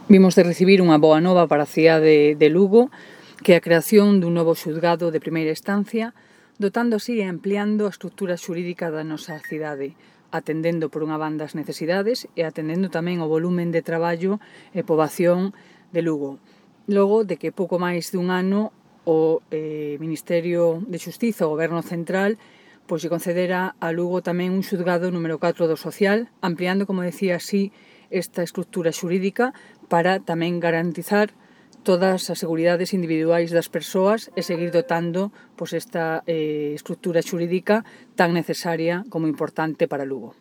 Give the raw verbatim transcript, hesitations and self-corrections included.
Vimos de recibir unha boa nova para a cidade de Lugo, que é a creación dun novo xulgado de primeira instancia, dotando así e ampliando a estrutura xurídica da nosa cidade, atendendo por unha banda as necesidades e atendendo tamén o volumen de traballo e poboación de Lugo. Logo de que pouco máis dun ano o eh, Ministerio de Xustiza, o Goberno Central, pois se concedera a Lugo tamén un xulgado número catro do social, ampliando, como decía así, esta estrutura xurídica para tamén garantizar todas as seguridades individuais das persoas e seguir dotando pois, esta eh, estrutura xurídica tan necesaria como importante para Lugo.